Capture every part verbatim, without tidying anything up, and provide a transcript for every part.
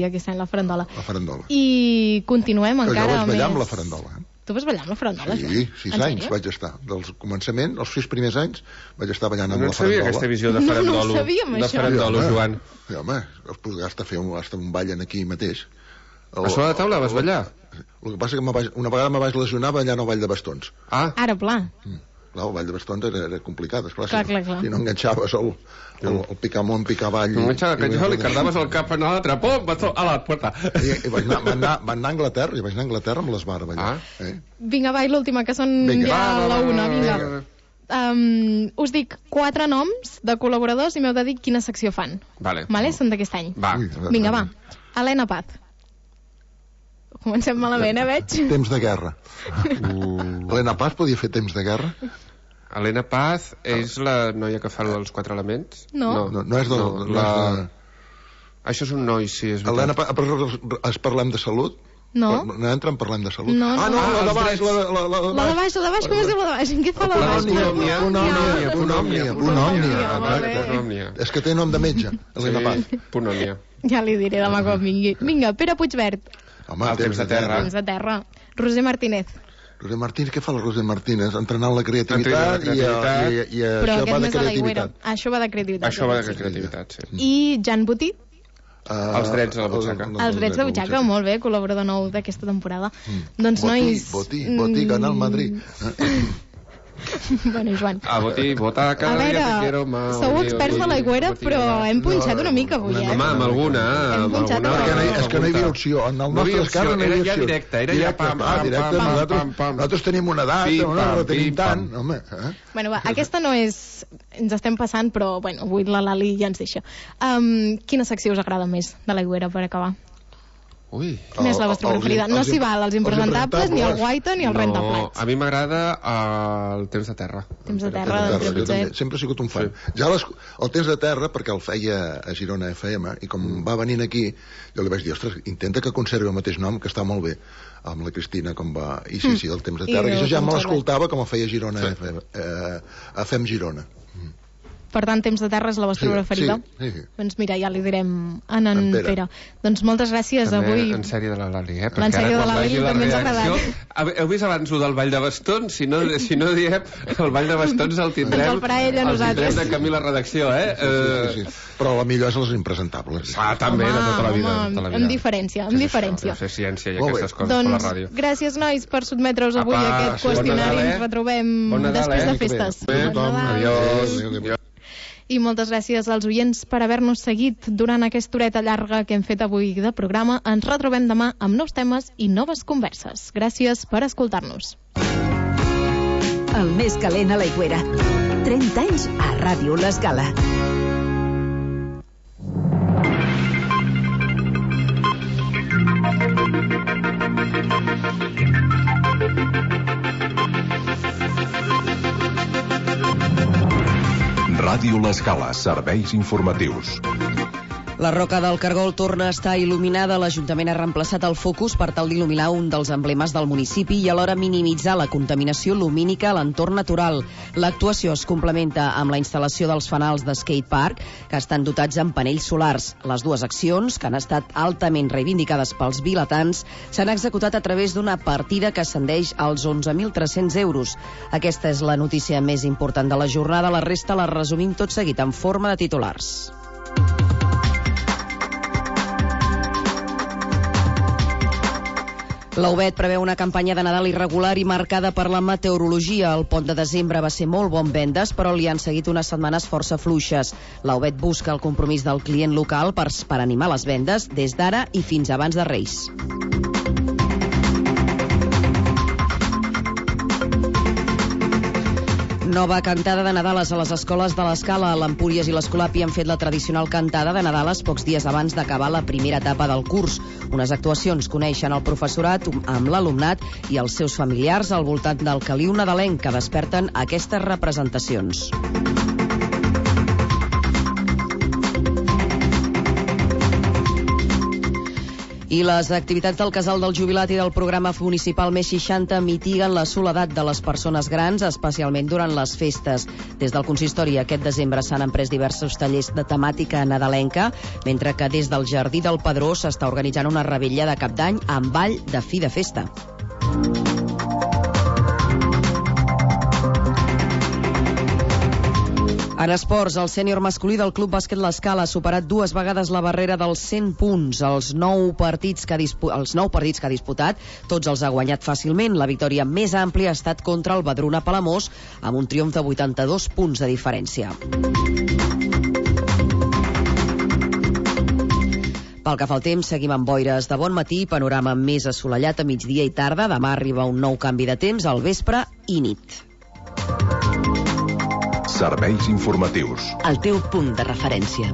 aquesta any la farandola. La farandola. I continuem Però encara jo vaig ballar més... amb la farandola. Eh? Tu vas ballar amb la farandola? Sí, sis anys vaig estar. Del començament, els sis primers anys, vaig estar ballant amb no la farandola. No sabia aquesta visió de farandolo. No, no ho sabíem, de això. farandolo, sí, Joan. Sí, home, els podràs estar fent un, un ballen aquí mateix. El, a sobre de taula vas ballar? El que passa que vaig, una vegada me vaig lesionar ballant al ball de bastons. Ah. Ara, pla. Mm. Clar, el ball de bastons era, era complicat, esclar. Clar, si, clar, clar. si no enganxaves el, el, el picar amunt, picar avall... No enganxava que jo li cardaves el cap en l'altre, pum, bastó, a la puerta. I, i vaig, anar, vaig, anar, vaig anar a Anglaterra, i vaig anar a Anglaterra amb l'esbar a ballar. Ah. Eh? Vinga, va, i l'última, que són Vinga. ja Va, va, la va, una, va, vinga. va. Um, us dic quatre noms de col·laboradors i m'heu de dir quina secció fan. Vale. Vale? Són d'aquest any. Va. Ui, Vinga, va. Helena Paz. Comencem malament, eh, veig? Temps de guerra. Uh. Helena Paz podia fer temps de guerra? Helena Paz és la noia que fa els quatre elements? No. No, no és de... No, la... és de... Això és un noi, sí, és veritat. Helena Paz, però es parlem de salut? No. No entra en parlem de salut? No, ah, no, no. la de Ah, baix, els la, la, la, La de baix, la de baix, com es diu la de baix? En què fa la de baix? Punòmnia, punòmnia, punòmnia, punòmnia. Punòmnia. És que té nom de metge, Helena Paz. Sí, punòmia. Ja li diré demà quan vingui. Vinga, Pere Puigvert. Home, El temps de terra. Temps de terra. Roser Martínez. Roser Martínez, què fa la Roser Martínez? Entrenant la creativitat, Entrenant la creativitat. I, i, i Però això va aquest de més a l'aigüera. creativitat. Això va de creativitat. Això va de creativitat, sí. I Jan Botí. Uh, Els drets de la butxaca. el- el- Els drets de butxaca, molt bé, col·laborador nou d'aquesta temporada. Mm. Doncs, Botí, nois... Botí, Botí, gana el Madrid. Bueno, Joan. A Botí, vota A cada dia te veure, quiero más. sou experts de l'aigüera, però hem punxat una mica avui, eh? Home, amb alguna, Hem amb punxat alguna. una Perquè no hi, mica. és que no hi havia opció. En el No hi nostre havia cas no hi opció, havia era ja opció. directe, era ja pam, ah, pam, directe, pam, nosaltres, pam, pam. nosaltres tenim una data, Pim, no, no pam, la tenim pim, tant. pam. Home, eh? Bueno, va, aquesta no és... Ens estem passant, però, bueno, avui la Lali ja ens deixa. Um, quina secció us agrada més de l'aigüera, per acabar? Ui. Quina és la vostra Els- preferida? No els- s'hi val els impresentables, ni el guaita, ni el No, rentaplats. a mi m'agrada uh, el temps de terra. Temps de terra, Terra, del jo Pere també, sempre he sigut un fan. Sí. Ja les, el temps de terra, perquè el feia a Girona F M, i com mm. va venint aquí, jo li vaig dir, ostres, intenta que conservi el mateix nom, que està molt bé, amb la Cristina, com va... I sí, sí, el temps de terra. I I això ja com me va. l'escoltava com el feia Girona Sí. F M, eh, F M Girona. Per tant, temps de terra és la vostra Sí, preferida? sí, sí. Doncs mira, ja li direm en en En Pere. Pere. Doncs moltes gràcies També avui. en sèrie de la Lali, eh? En sèrie de la Lali també ens ha agradat. agradat. Heu vist abans ho del Ball de Bastons? Si no, si no diem, el Ball de Bastons el tindrem... Ens el farà ella a el tindrem nosaltres. de camí a la redacció, eh? Sí, sí, sí. Però la millor és les impresentables. Ah, també, de tota la vida. Home, de tota la vida. amb diferència, amb Què és diferència. Això, de fer ciència i Molt bé. aquestes coses per la Doncs ràdio. gràcies, nois, per sotmetre-us avui Apa, a aquest sí, bon qüestionari. Nadal, eh? Ens retrobem Bon Nadal, després eh? de festes. Bé, Bon Nadal. adiós. Adéu, adéu. I moltes gràcies als oients per haver-nos seguit durant aquesta horeta llarga que hem fet avui de programa. Ens retrobem demà amb nous temes i noves converses. Gràcies per escoltar-nos. El més calent a l'aigüera. trenta anys a Ràdio L'Escala. Ràdio L'Escala, serveis informatius. La Roca del Cargol torna a estar il·luminada. L'Ajuntament ha reemplaçat el focus per tal d'il·luminar un dels emblemes del municipi i alhora minimitzar la contaminació lumínica a l'entorn natural. L'actuació es complementa amb la instal·lació dels fanals de skate park, que estan dotats amb panells solars. Les dues accions, que han estat altament reivindicades pels vilatans, s'han executat a través d'una partida que ascendeix als onze mil tres-cents euros. Aquesta és la notícia més important de la jornada. La resta la resumim tot seguit en forma de titulars. La U B E T preveu una campanya de Nadal irregular i marcada per la meteorologia. El pont de desembre va ser molt bon vendes, però li han seguit unes setmanes força fluixes. La U B E T busca el compromís del client local per, per animar les vendes des d'ara i fins abans de Reis. Nova cantada de Nadales a les escoles de l'Escala. L'Empúries i l'Escolapi han fet la tradicional cantada de Nadales pocs dies abans d'acabar la primera etapa del curs. Unes actuacions coneixen el professorat amb l'alumnat i els seus familiars al voltant del caliu nadalenc que desperten aquestes representacions. I les activitats del Casal del Jubilat i del programa municipal Més seixanta mitiguen la soledat de les persones grans, especialment durant les festes. Des del consistori aquest desembre s'han emprès diversos tallers de temàtica nadalenca, mentre que des del Jardí del Padró s'està organitzant una revetlla de Cap d'Any amb ball de fi de festa. En esports, el sènior masculí del Club Bàsquet L'Escala ha superat dues vegades la barrera dels cent punts. Els nou partits que ha, dispu els nou partits que ha disputat, tots els ha guanyat fàcilment. La victòria més àmplia ha estat contra el Badruna Palamós, amb un triomf de vuitanta-dos punts de diferència. Pel que fa al temps, seguim amb boires de bon matí, panorama més assolellat a migdia i tarda. Demà arriba un nou canvi de temps al vespre i nit. Serveis informatius. El teu punt de referència.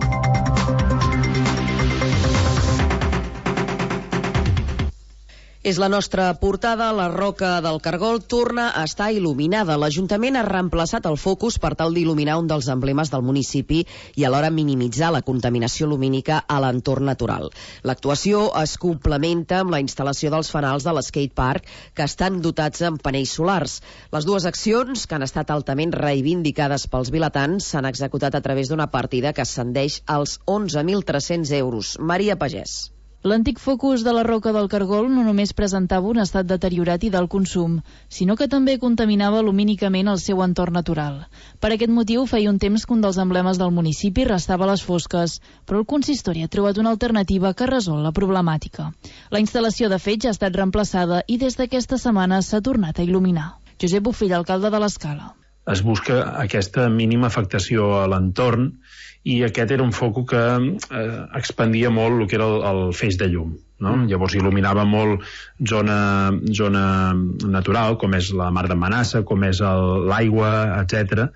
És la nostra portada. La Roca del Cargol torna a estar il·luminada. L'Ajuntament ha reemplaçat el focus per tal d'il·luminar un dels emblemes del municipi i alhora minimitzar la contaminació lumínica a l'entorn natural. L'actuació es complementa amb la instal·lació dels fanals de l'Skate Park, que estan dotats amb panells solars. Les dues accions, que han estat altament reivindicades pels vilatans, s'han executat a través d'una partida que ascendeix als onze mil tres-cents euros. Maria Pagès. L'antic focus de la Roca del Cargol no només presentava un estat deteriorat i d'alt consum, sinó que també contaminava lumínicament el seu entorn natural. Per aquest motiu, feia un temps que un dels emblemes del municipi restava a les fosques, però el consistori ha trobat una alternativa que resol la problemàtica. La instal·lació, de fet, ja ha estat reemplaçada i des d'aquesta setmana s'ha tornat a il·luminar. Josep Bofill, alcalde de l'Escala. Es busca aquesta mínima afectació a l'entorn i aquest era un foco que eh, expandia molt el que era el, el feix de llum, no? Mm. Llavors il·luminava molt zona, zona natural, com és la mar d'Amenaça, com és l'aigua, etcètera.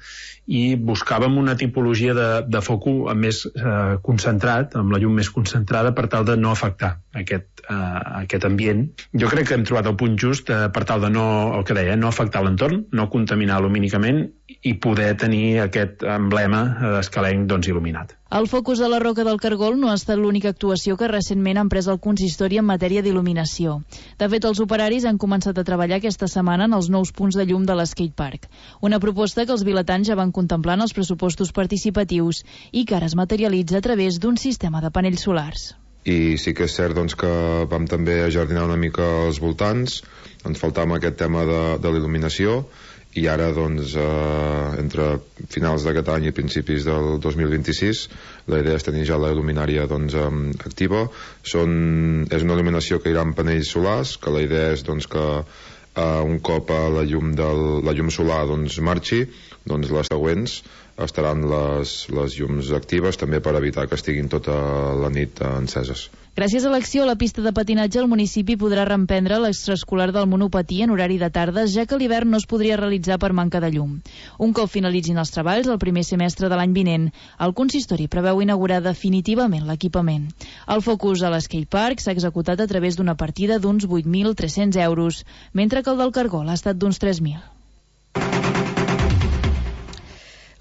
I buscàvem una tipologia de, de foco més eh, concentrat, amb la llum més concentrada, per tal de no afectar aquest, eh, aquest ambient. Jo crec que hem trobat el punt just eh, per tal de no, el que deia, no afectar l'entorn, no contaminar lumínicament i poder tenir aquest emblema escalenc doncs, il·luminat. El focus de la Roca del Cargol no ha estat l'única actuació que recentment ha emprès el consistori en matèria d'il·luminació. De fet, els operaris han començat a treballar aquesta setmana en els nous punts de llum de l'Skate Park, una proposta que els vilatans ja van contemplar en els pressupostos participatius i que ara es materialitza a través d'un sistema de panells solars. I sí que és cert doncs, que vam també ajardinar una mica els voltants, ens faltava aquest tema de, de l'il·luminació, i ara, doncs, eh, entre finals d'aquest any i principis del dos mil vint-i-sis, la idea és tenir ja la il·luminària doncs, eh, activa. Són, és una il·luminació que irà amb panells solars, que la idea és doncs, que eh, un cop la llum, del, la llum solar doncs, marxi, doncs les següents estaran les, les llums actives, també per evitar que estiguin tota la nit eh, enceses. Gràcies a l'acció, la pista de patinatge al municipi podrà reemprendre l'extraescolar del monopatí en horari de tardes, ja que l'hivern no es podria realitzar per manca de llum. Un cop finalitzin els treballs, el primer semestre de l'any vinent, el consistori preveu inaugurar definitivament l'equipament. El focus a l'Skate Park s'ha executat a través d'una partida d'uns vuit mil tres-cents euros, mentre que el del Cargol ha estat d'uns tres mil.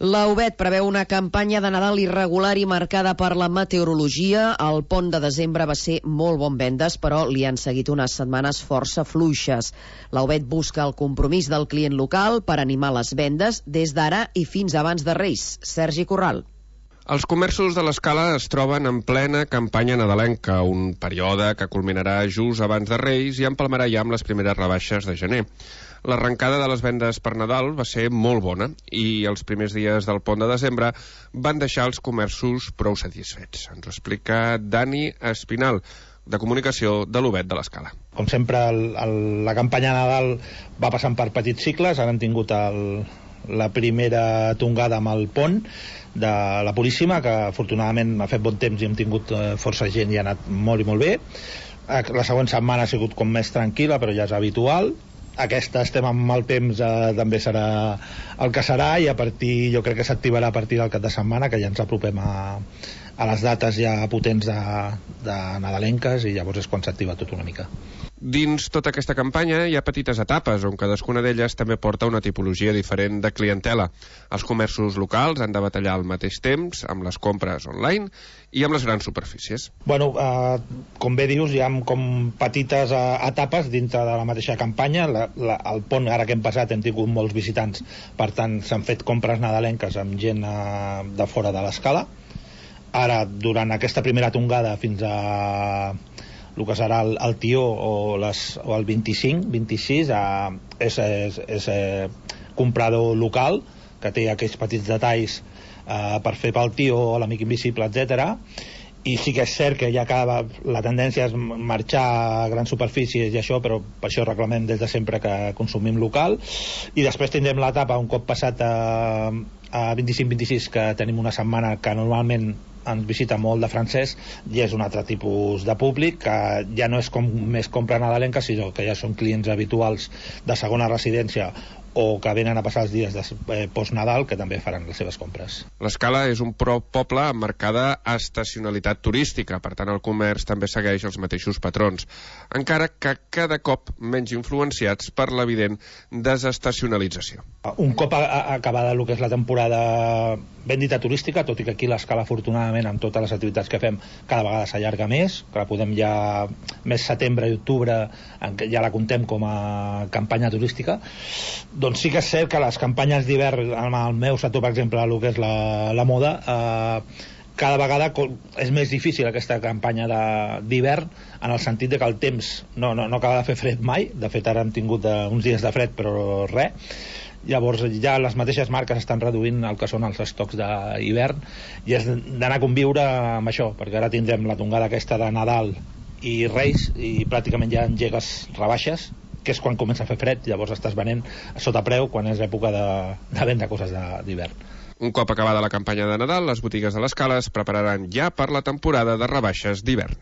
La U B E T preveu una campanya de Nadal irregular i marcada per la meteorologia. El pont de desembre va ser molt bon vendes, però li han seguit unes setmanes força fluixes. La U B E T busca el compromís del client local per animar les vendes des d'ara i fins abans de Reis. Sergi Corral. Els comerços de l'Escala es troben en plena campanya nadalenca, un període que culminarà just abans de Reis i empalmarà ja amb les primeres rebaixes de gener. L'arrencada de les vendes per Nadal va ser molt bona i els primers dies del pont de desembre van deixar els comerços prou satisfets. Ens ho explica Dani Espinal, de comunicació de l'U B E T de l'Escala. Com sempre, el, el, la campanya Nadal va passant per petits cicles. Ara hem tingut el, la primera tongada amb el pont de la Puríssima, que afortunadament ha fet bon temps i hem tingut eh, força gent i ha anat molt i molt bé. La següent setmana ha sigut com més tranquil·la, però ja és habitual. Aquesta estem amb el temps, eh, també serà el que serà, i a partir, jo crec que s'activarà a partir del cap de setmana, que ja ens apropem a, a les dates ja potents de, de nadalenques, i llavors és quan s'activa tot una mica. Dins tota aquesta campanya hi ha petites etapes on cadascuna d'elles també porta una tipologia diferent de clientela. Els comerços locals han de batallar al mateix temps amb les compres online i amb les grans superfícies. Bueno, eh, com bé dius, hi ha com petites eh, etapes dintre de la mateixa campanya. La, la, al pont, ara que hem passat, hem tingut molts visitants, per tant s'han fet compres nadalenques amb gent eh, de fora de l'escala. Ara, durant aquesta primera tongada fins a el que serà el, el tió o, les, o el vint-i-cinc, vint-i-sis, eh, és, és, és eh, comprador local que té aquells petits detalls eh, per fer pel tió o l'amic invisible, etcètera. I sí que és cert que ja cada, la tendència és marxar a grans superfícies i això, però per això reclamem des de sempre que consumim local. I després tindrem l'etapa un cop passat a, a vint-i-cinc vint-i-sis, que tenim una setmana que normalment ens visita molt de francès, i és un altre tipus de públic que ja no és com més compra nadalenca, sinó que ja són clients habituals de segona residència o que venen a passar els dies de eh, post-Nadal, que també faran les seves compres. L'Escala és un pro poble amb marcada estacionalitat turística, per tant el comerç també segueix els mateixos patrons, encara que cada cop menys influenciats per l'evident desestacionalització. Un cop a, a, acabada el que és la temporada ben dita turística, tot i que aquí l'Escala afortunadament amb totes les activitats que fem cada vegada s'allarga més, que la podem ja més setembre i octubre, en què ja la contem com a campanya turística, doncs sí que és cert que les campanyes d'hivern, en el meu sector per exemple, el que és la, la moda, eh, cada vegada és més difícil aquesta campanya d'hivern, en el sentit de que el temps no, no, no acaba de fer fred mai. De fet ara hem tingut uh, uns dies de fred però res. Llavors ja les mateixes marques estan reduint el que són els estocs d'hivern, i és d'anar a conviure amb això, perquè ara tindrem la tongada aquesta de Nadal i Reis i pràcticament ja engegues rebaixes, que és quan comença a fer fred, llavors estàs venent sota preu quan és època de, de vendre coses d'hivern. Un cop acabada la campanya de Nadal, les botigues de l'Escala es prepararan ja per la temporada de rebaixes d'hivern.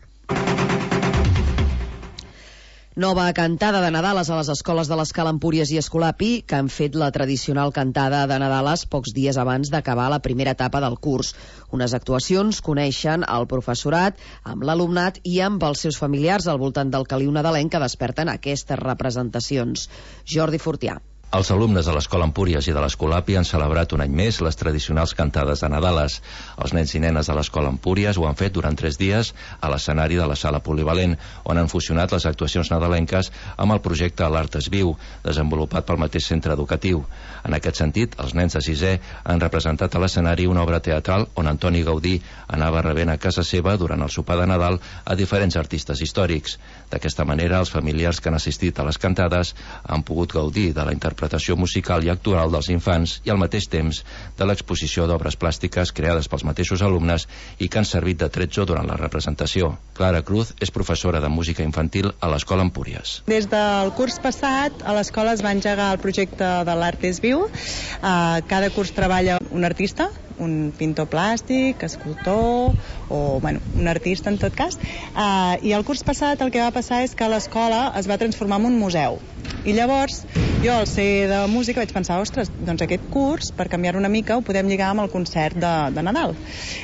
Nova cantada de Nadales a les escoles de l'Escala Empúries i Escolapi, que han fet la tradicional cantada de Nadales pocs dies abans d'acabar la primera etapa del curs. Unes actuacions coneixen el professorat amb l'alumnat i amb els seus familiars al voltant del caliu nadalenc que desperten aquestes representacions. Jordi Fortià. Els alumnes de l'Escola Empúries i de l'Escolapi han celebrat un any més les tradicionals cantades de Nadales. Els nens i nenes de l'Escola Empúries ho han fet durant tres dies a l'escenari de la sala polivalent, on han fusionat les actuacions nadalenques amb el projecte L'Art es viu, desenvolupat pel mateix centre educatiu. En aquest sentit, els nens de sisè han representat a l'escenari una obra teatral on Antoni Gaudí anava rebent a casa seva durant el sopar de Nadal a diferents artistes històrics. D'aquesta manera, els familiars que han assistit a les cantades han pogut gaudir de la interpretació musical i actoral dels infants i al mateix temps de l'exposició d'obres plàstiques creades pels mateixos alumnes i que han servit de tretzo durant la representació. Clara Cruz és professora de música infantil a l'Escola Empúries. Des del curs passat a l'escola es va engegar el projecte de l'Art es viu. Uh, cada curs treballa un artista, un pintor plàstic, escultor o bueno, un artista en tot cas, uh, i el curs passat el que va passar és que l'escola es va transformar en un museu, i llavors jo al ser de música vaig pensar, ostres, doncs aquest curs per canviar una mica ho podem lligar amb el concert de, de Nadal,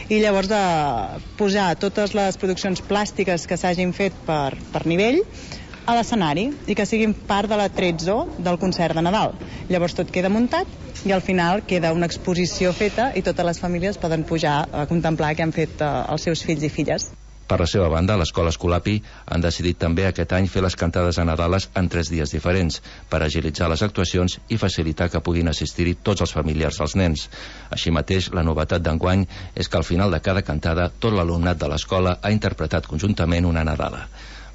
i llavors de posar totes les produccions plàstiques que s'hagin fet per, per nivell a l'escenari i que siguin part de la tretzo del concert de Nadal. Llavors tot queda muntat i al final queda una exposició feta i totes les famílies poden pujar a contemplar què han fet eh, els seus fills i filles. Per la seva banda, l'Escola Escolapi han decidit també aquest any fer les cantades a Nadales en tres dies diferents per agilitzar les actuacions i facilitar que puguin assistir-hi tots els familiars dels nens. Així mateix, la novetat d'enguany és que al final de cada cantada tot l'alumnat de l'escola ha interpretat conjuntament una Nadala.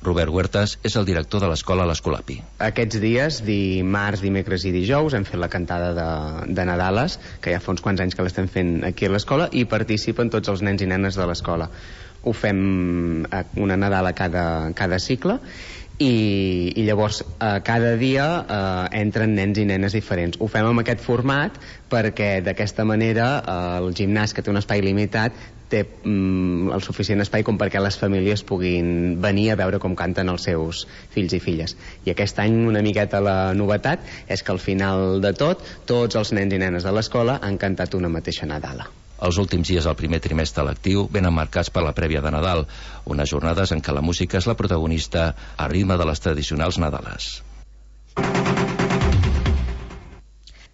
Robert Huertas és el director de l'escola a l'Escolapi. Aquests dies, dimarts, dimecres i dijous, hem fet la cantada de, de Nadales, que ja fa uns quants anys que l'estem fent aquí a l'escola, i participen tots els nens i nenes de l'escola. Ho fem una Nadala cada, cada cicle, i, i llavors eh, cada dia eh, entren nens i nenes diferents. Ho fem amb aquest format perquè d'aquesta manera eh, el gimnàs, que té un espai limitat, té mm, el suficient espai com perquè les famílies puguin venir a veure com canten els seus fills i filles. I aquest any una miqueta la novetat és que al final de tot tots els nens i nenes de l'escola han cantat una mateixa Nadala. Els últims dies del primer trimestre lectiu venen marcats per la prèvia de Nadal, unes jornades en què la música és la protagonista a ritme de les tradicionals Nadales.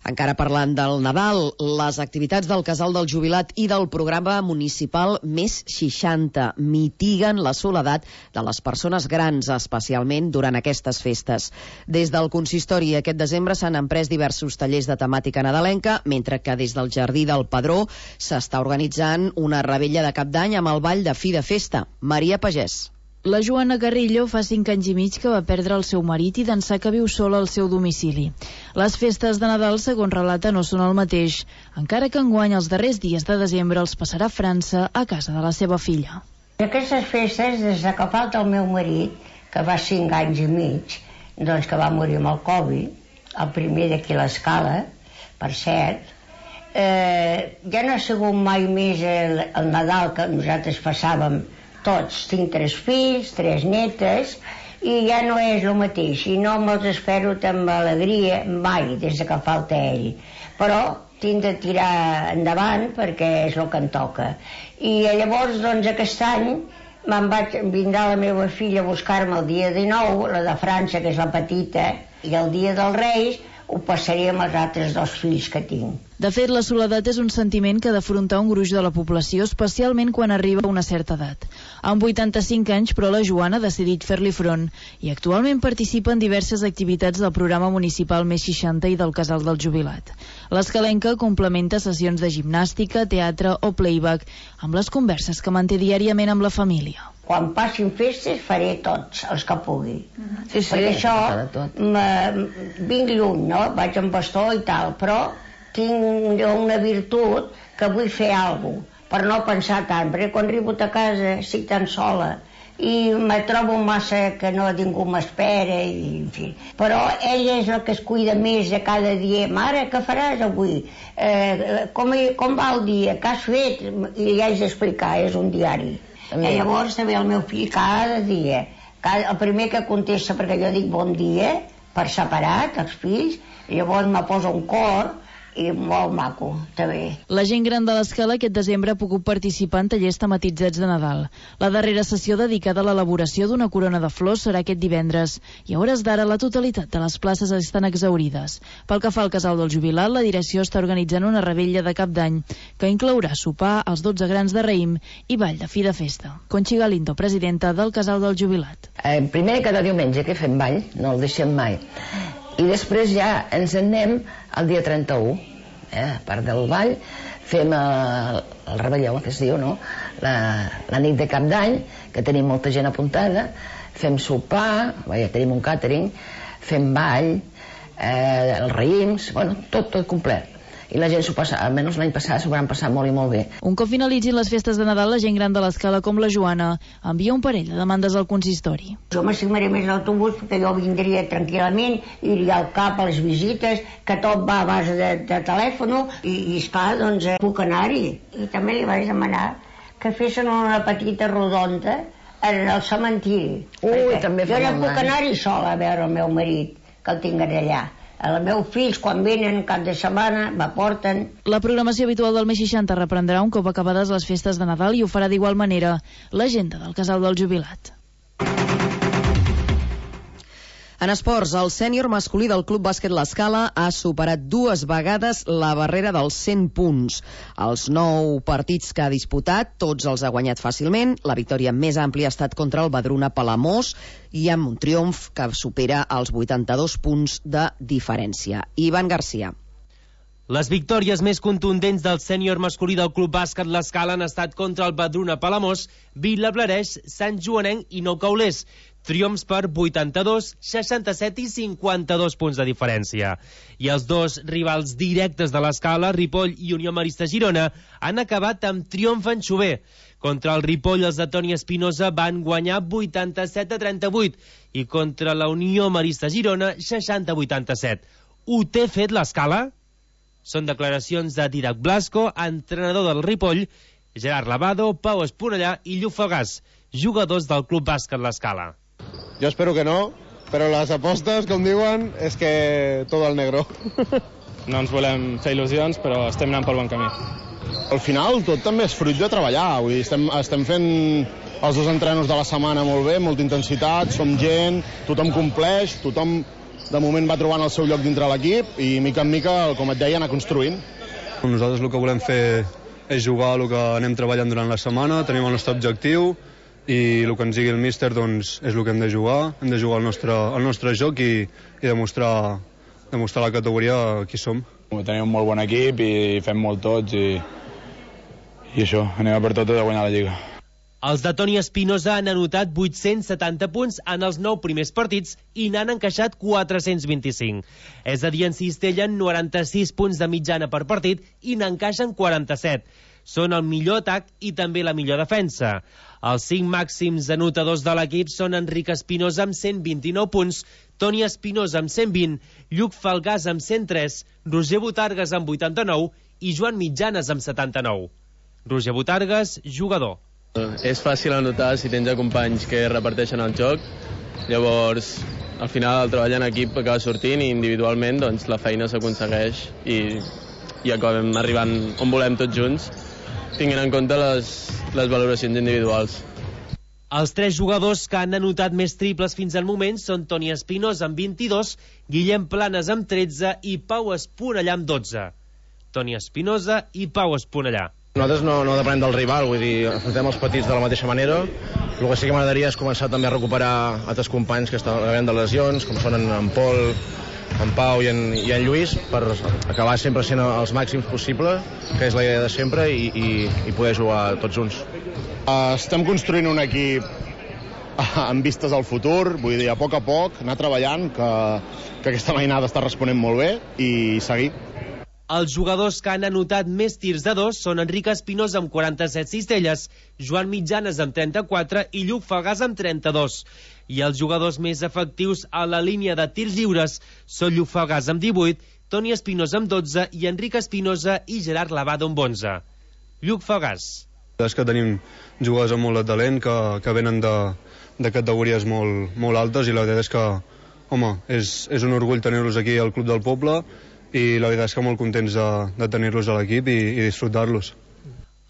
Encara parlant del Nadal, les activitats del Casal del Jubilat i del programa municipal Més seixanta mitiguen la soledat de les persones grans, especialment durant aquestes festes. Des del consistori aquest desembre s'han emprès diversos tallers de temàtica nadalenca, mentre que des del Jardí del Padró s'està organitzant una revetlla de Cap d'Any amb el ball de fi de festa. Maria Pagès. La Joana Carrillo fa cinc anys i mig que va perdre el seu marit i d'ençà que viu sola al seu domicili. Les festes de Nadal, segons relata, no són el mateix, encara que enguany els darrers dies de desembre els passarà a França a casa de la seva filla. Aquestes festes, des que falta el meu marit, que va cinc anys i mig, doncs que va morir amb el Covid, el primer d'aquí a l'Escala, per cert, eh, ja no ha sigut mai més el, el Nadal que nosaltres passàvem tots. Tinc tres fills, tres netes, i ja no és el mateix, i no me'ls espero amb alegria mai des que falta ell, però tinc de tirar endavant perquè és el que em toca. I llavors, doncs, aquest any me'n vaig vindrà la meva filla a buscar-me el dia dinou, la de França, que és la petita, i el dia dels Reis ho passaré amb els altres dos fills que tinc. De fet, la soledat és un sentiment que ha d'afrontar un gruix de la població, especialment quan arriba a una certa edat. Amb vuitanta-cinc anys, però, la Joana ha decidit fer-li front i actualment participa en diverses activitats del programa municipal Més seixanta i del Casal del Jubilat. L'escalenca complementa sessions de gimnàstica, teatre o playback amb les converses que manté diàriament amb la família. Quan passin festes faré tots els que pugui. Sí, sí, perquè això vinc lluny, no? Vaig amb bastó i tal, però tinc una virtut que vull fer alguna cosa, per no pensar tant, perquè quan arribo a casa estic tan sola i me trobo massa que no ningú m'espera, i en fi. Però ella és el que es cuida més de cada dia. Mare, què faràs avui? Eh, com, com va el dia? Què has fet? I li haig d'explicar, és un diari. I llavors també el meu fill cada dia, cada, el primer que contesta, perquè jo dic bon dia, per separat, els fills, llavors me posa un cor, i molt maco, també. La gent gran de l'Escala aquest desembre ha pogut participar en tallers tematitzats de Nadal. La darrera sessió dedicada a l'elaboració d'una corona de flors serà aquest divendres, i a hores d'ara la totalitat de les places estan exhaurides. Pel que fa al Casal del Jubilat, la direcció està organitzant una revetlla de Cap d'Any que inclourà sopar, els dotze grans de raïm i ball de fi de festa. Conchi Galindo, presidenta del Casal del Jubilat. Eh, primer cada diumenge que fem ball, no el deixem mai. I després ja ens en anem el dia trenta-u, eh? A part del ball fem el, el rebelló, que es diu, no? La, la nit de Cap d'Any, que tenim molta gent apuntada, fem sopar, ja tenim un càtering, fem ball, eh, els raïms, bueno, tot, tot complet. I la gent s'ho passa, almenys l'any passat s'ho van passar molt i molt bé. Un cop finalitzin les festes de Nadal, la gent gran de l'Escala com la Joana envia un parell de demandes al consistori. Jo m'assignaré més l'autobús perquè jo vindria tranquil·lament, iria al cap a les visites, que tot va a base de, de telèfon, i, i esclar, doncs puc anar-hi. I també li vaig demanar que fessin una petita rodonda en el cementiri. Ui, també jo no puc anar-hi sola a veure el meu marit, que el tinc allà. Els meus fills, quan venen cap de setmana, m'aporten. La programació habitual del Més seixanta reprendrà un cop acabades les festes de Nadal i ho farà d'igual manera l'agenda del Casal del Jubilat. En esports, el sènior masculí del Club Bàsquet L'Escala ha superat dues vegades la barrera dels cent punts. Els nou partits que ha disputat, tots els ha guanyat fàcilment. La victòria més àmplia ha estat contra el Badruna Palamós i amb un triomf que supera els vuitanta-dos punts de diferència. Ivan Garcia. Les victòries més contundents del sènior masculí del Club Bàsquet L'Escala han estat contra el Badruna Palamós, Vilablareix, Sant Joanenc i Nou Caulers. Triomfs per vuitanta-dos, seixanta-set i cinquanta-dos punts de diferència. I els dos rivals directes de l'Escala, Ripoll i Unió Marista Girona, han acabat amb triomf en xover. Contra el Ripoll, els de Toni Espinosa van guanyar vuitanta-set a trenta-vuit i contra la Unió Marista Girona, seixanta a vuitanta-set. Ho té fet l'Escala? Són declaracions de Didac Blasco, entrenador del Ripoll, Gerard Lavado, Pau Esponellà i Lluc Falgàs, jugadors del Club Bàsquet L'Escala. Jo espero que no, però les apostes, com diuen, és que tot al negro. No ens volem fer il·lusions, però estem anant pel bon camí. Al final tot també és fruit de treballar, vull dir, estem, estem fent els dos entrenos de la setmana molt bé, molta intensitat, som gent, tothom compleix, tothom de moment va trobant el seu lloc dintre l'equip i mica en mica, com et deia, anar construint. Nosaltres el que volem fer és jugar el que anem treballant durant la setmana, tenim el nostre objectiu i el que ens digui el míster doncs, és el que hem de jugar, hem de jugar el nostre, el nostre joc i, i demostrar, demostrar la categoria qui som. Tenim un molt bon equip i fem molt tots i, i això, anem a per totes a guanyar la Lliga. Els de Toni Espinosa han anotat vuit-cents setanta punts en els nou primers partits i n'han encaixat quatre-cents vint-i-cinc. És a dir, en cistellen noranta-sis punts de mitjana per partit i n'encaixen quaranta-set. Són el millor atac i també la millor defensa. Els cinc màxims anotadors de l'equip són Enric Espinosa amb cent vint-i-nou punts, Toni Espinosa amb cent vint, Lluc Falgàs amb cent tres, Roger Botargas amb vuitanta-nou i Joan Mitjanes amb setanta-nou. Roger Botargas, jugador. És fàcil anotar si tens companys que reparteixen el joc, llavors al final el treball en equip acaba sortint i individualment doncs, la feina s'aconsegueix i, i acabem arribant on volem tots junts, tinguent en compte les, les valoracions individuals. Els tres jugadors que han anotat més triples fins al moment són Toni Espinosa amb vint-i-dos, Guillem Planes amb tretze i Pau Esponellà amb dotze. Toni Espinosa i Pau Esponellà. Nosaltres no, no depenem del rival, vull dir, afrontem els petits de la mateixa manera. El que sí que m'agradaria és començar també a recuperar altres companys que estan havent de lesions, com són en, en Pol, en Pau i en, i en Lluís, per acabar sempre sent els màxims possible, que és la idea de sempre, i, i, i poder jugar tots junts. Uh, estem construint un equip amb vistes al futur, vull dir, a poc a poc, anar treballant, que, que aquesta mainada està responent molt bé, i seguir. Els jugadors que han anotat més tirs de dos són Enric Espinosa amb quaranta-set cistelles, Joan Mitjanes amb trenta-quatre i Lluc Falgàs amb trenta-dos. I els jugadors més efectius a la línia de tirs lliures són Lluc Falgàs amb divuit, Toni Espinosa amb dotze i Enric Espinosa i Gerard Lavado amb onze. Lluc Falgàs. És que tenim jugadors amb molt de talent que, que venen de, de categories molt, molt altes i la veritat és que, home, és, és un orgull tenir-los aquí al Club del Poble i la veritat és que molt contents de, de tenir-los a l'equip i, i disfrutar-los.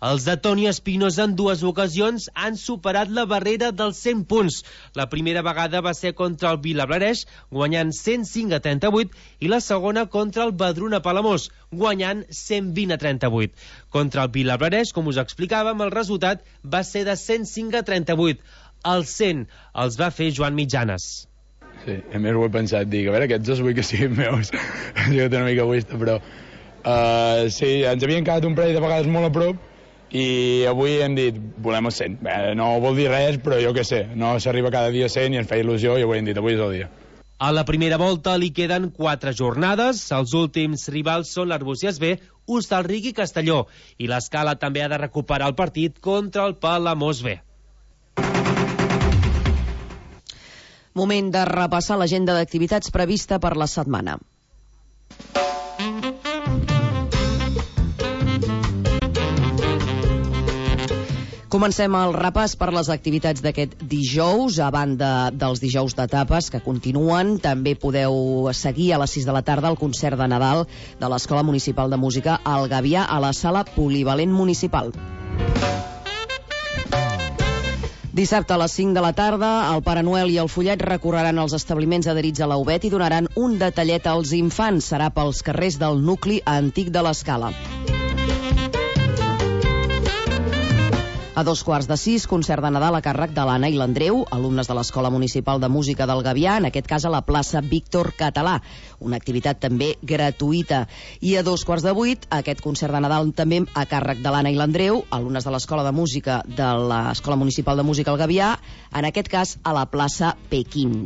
Els de Toni Espinosa en dues ocasions han superat la barrera dels cent punts. La primera vegada va ser contra el Vilablareix, guanyant cent cinc a trenta-vuit, i la segona contra el Badruna Palamós, guanyant cent vint a trenta-vuit. Contra el Vilablareix, com us explicàvem, el resultat va ser de cent cinc a trenta-vuit. Els cent els va fer Joan Mitjanes. Sí, a més ho he pensat, dic, a veure, aquests dos vull que siguin meus. Ha sigut una mica egoista, però uh, sí, ens havien quedat un parell de vegades molt a prop i avui hem dit, volem els cent. Bé, no vol dir res, però jo què sé, no s'arriba cada dia a cent i ens feia il·lusió i avui hem dit, avui és el dia. A la primera volta li queden quatre jornades. Els últims rivals són l'Arbúcies B, Hostalric i Castelló. I l'Escala també ha de recuperar el partit contra el Palamós B. Moment de repassar l'agenda d'activitats prevista per la setmana. Comencem el repàs per les activitats d'aquest dijous, a banda dels dijous d'etapes que continuen. També podeu seguir a les sis de la tarda el concert de Nadal de l'Escola Municipal de Música al Gavià a la Sala Polivalent Municipal. Dissabte a les cinc de la tarda, el Pare Noel i el Follet recorreran els establiments adherits a la U B E T i donaran un detallet als infants. Serà pels carrers del nucli antic de l'Escala. A dos quarts de sis, concert de Nadal a càrrec de l'Anna i l'Andreu, alumnes de l'Escola Municipal de Música del Gavià, en aquest cas a la plaça Víctor Català, una activitat també gratuïta. I a dos quarts de vuit, aquest concert de Nadal també a càrrec de l'Anna i l'Andreu, alumnes de l'Escola de Música de l'Escola Municipal de Música del Gavià, en aquest cas a la plaça Pequín.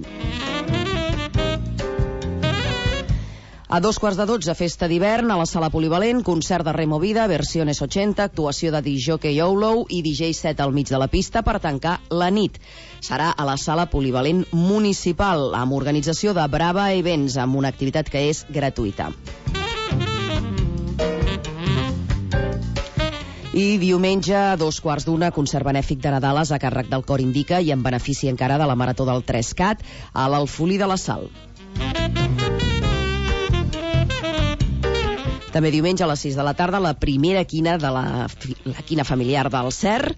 A dos quarts de dotze, festa d'hivern a la Sala Polivalent, concert de Removida, Versiones ochenta, actuació de D J Youlou i D J set al mig de la pista per tancar la nit. Serà a la Sala Polivalent Municipal, amb organització de Brava Events, amb una activitat que és gratuïta. I diumenge, a dos quarts d'una, concert benèfic de Nadales a càrrec del Cor Indica i en benefici encara de la Marató del tres cat a l'Alfolí de la Sal. També diumenge a les sis de la tarda la primera quina de la, la quina familiar del Cer.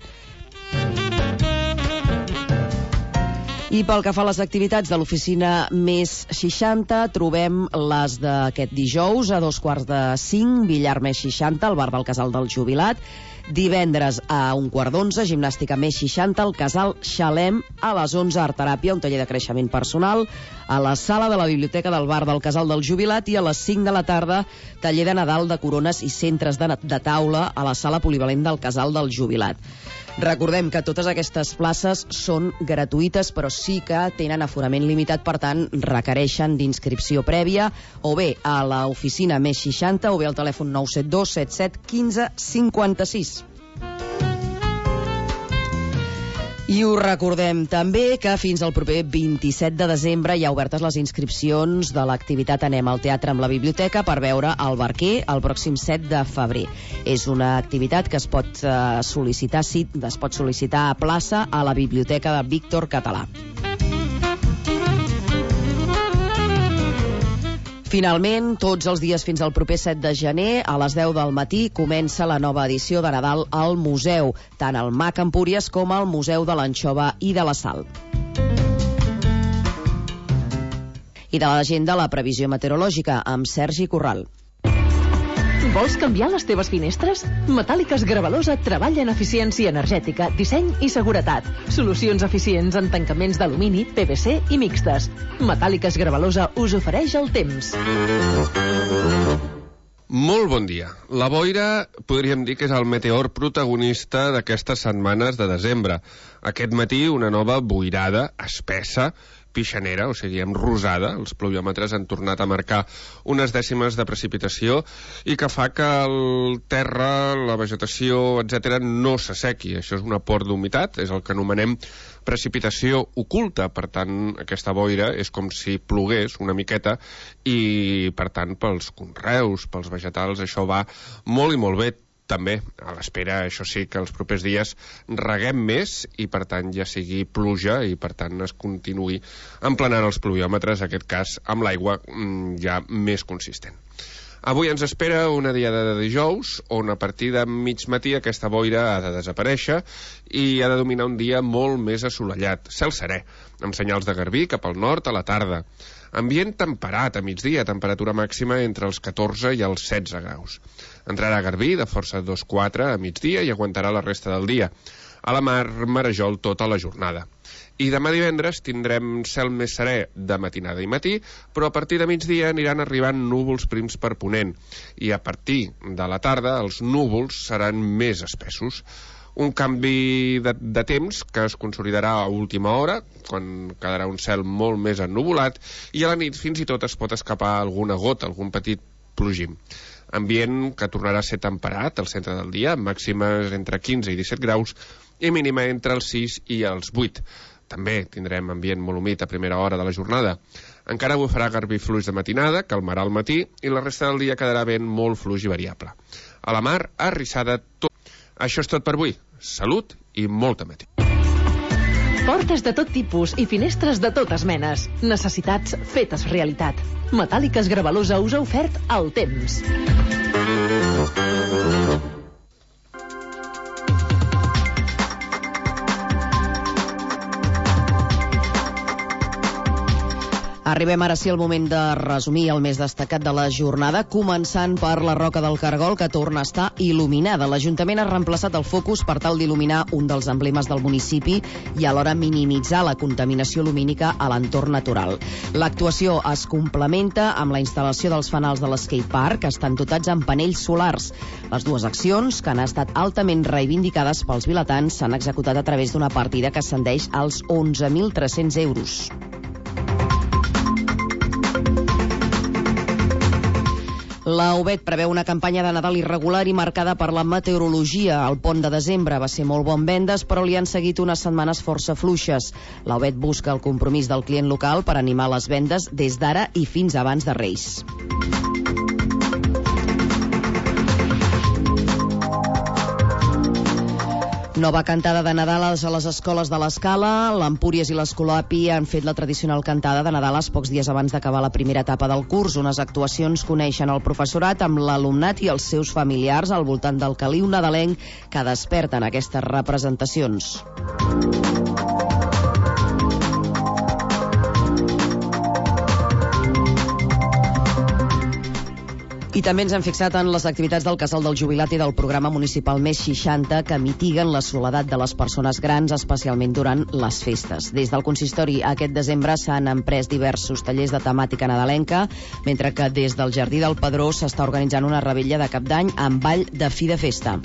I pel que fa a les activitats de l'oficina Més seixanta, trobem les d'aquest dijous a dos quarts de cinc, billar Més seixanta, al bar del Casal del Jubilat. Divendres a un quart d'onze, gimnàstica Més seixanta, al Casal Xalem. A les onze, art teràpia, un taller de creixement personal a la sala de la biblioteca del bar del Casal del Jubilat. I a les cinc de la tarda, taller de Nadal de corones i centres de, de taula a la sala polivalent del Casal del Jubilat. Recordem que totes aquestes places són gratuïtes, però sí que tenen aforament limitat, per tant requereixen d'inscripció prèvia, o bé a l'oficina Més seixanta o bé al telèfon nou set dos set set un cinc cinc sis. I us recordem també que fins al proper vint-i-set de desembre hi ha obertes les inscripcions de l'activitat Anem al teatre amb la biblioteca per veure El Barquer el pròxim set de febrer. És una activitat que es pot eh, sol·licitar, sí, es pot sol·licitar a plaça a la biblioteca de Víctor Català. Finalment, tots els dies fins al proper set de gener, a les deu del matí, comença la nova edició de Nadal al Museu, tant al M A C Empúries com al Museu de l'Anxova i de la Sal. I de l'agenda, la previsió meteorològica, amb Sergi Corral. Vols canviar les teves finestres? Metàl·liques Gravalosa treballa en eficiència energètica, disseny i seguretat. Solucions eficients en tancaments d'alumini, P V C i mixtes. Metàl·liques Gravalosa us ofereix el temps. Molt bon dia. La boira podríem dir que és el meteor protagonista d'aquestes setmanes de desembre. Aquest matí una nova boirada espessa, pixanera, o sigui, amb rosada. Els pluviòmetres han tornat a marcar unes dècimes de precipitació i que fa que el terra, la vegetació, etcètera, no s'assequi. Això és un aport d'humitat, és el que anomenem precipitació oculta. Per tant, aquesta boira és com si plogués una miqueta i, per tant, pels conreus, pels vegetals, això va molt i molt bé. També, a l'espera, això sí, que els propers dies reguem més i, per tant, ja sigui pluja i, per tant, es continuï emplenant els pluviòmetres, en aquest cas, amb l'aigua ja més consistent. Avui ens espera una diada de dijous, on a partir de mig matí aquesta boira ha de desaparèixer i ha de dominar un dia molt més assolellat, cel serè, amb senyals de garbí cap al nord a la tarda. Ambient temperat a migdia, temperatura màxima entre els catorze i els setze graus. Entrarà garbí de força dos quatre a migdia i aguantarà la resta del dia. A la mar, marejol tota la jornada. I demà divendres tindrem cel més serè de matinada i matí, però a partir de migdia aniran arribant núvols prims per ponent. I a partir de la tarda els núvols seran més espessos. Un canvi de, de temps que es consolidarà a última hora, quan quedarà un cel molt més ennuvolat, i a la nit fins i tot es pot escapar alguna gota, algun petit plogim. Ambient que tornarà a ser temperat al centre del dia, màximes entre quinze i disset graus i mínima entre els sis i els vuit. També tindrem ambient molt humit a primera hora de la jornada. Encara bufarà garbí fluix de matinada, calmarà al matí i la resta del dia quedarà vent molt fluix i variable. A la mar, arrissada tot. Això és tot per avui. Salut i molta matí. Portes de tot tipus i finestres de totes menes. Necessitats fetes realitat. Metàl·liques Gravalosa us ha ofert el temps. Arribem ara sí al moment de resumir el més destacat de la jornada, començant per la Roca del Cargol, que torna a estar il·luminada. L'Ajuntament ha reemplaçat el focus per tal d'il·luminar un dels emblemes del municipi i alhora minimitzar la contaminació lumínica a l'entorn natural. L'actuació es complementa amb la instal·lació dels fanals de l'Skate Park, que estan dotats amb panells solars. Les dues accions, que han estat altament reivindicades pels vilatans, s'han executat a través d'una partida que ascendeix als onze mil tres-cents euros. La U B E T preveu una campanya de Nadal irregular i marcada per la meteorologia. El pont de desembre va ser molt bon vendes, però li han seguit unes setmanes força fluixes. La U B E T busca el compromís del client local per animar les vendes des d'ara i fins abans de Reis. Nova cantada de Nadales a les escoles de l'Escala. L'Empúries i l'Escolapi han fet la tradicional cantada de Nadales pocs dies abans d'acabar la primera etapa del curs. Unes actuacions coneixen el professorat amb l'alumnat i els seus familiars al voltant del caliu nadalenc que desperten aquestes representacions. I també ens hem fixat en les activitats del Casal del Jubilat i del programa municipal Més seixanta que mitiguen la soledat de les persones grans, especialment durant les festes. Des del consistori aquest desembre s'han emprès diversos tallers de temàtica nadalenca, mentre que des del Jardí del Pedró s'està organitzant una revetlla de Cap d'Any amb ball de fi de festa.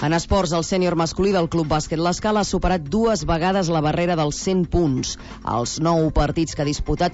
En esports, el sènior masculí del Club Bàsquet L'Escala ha superat dues vegades la barrera dels cent punts. Els nou partits que ha disputat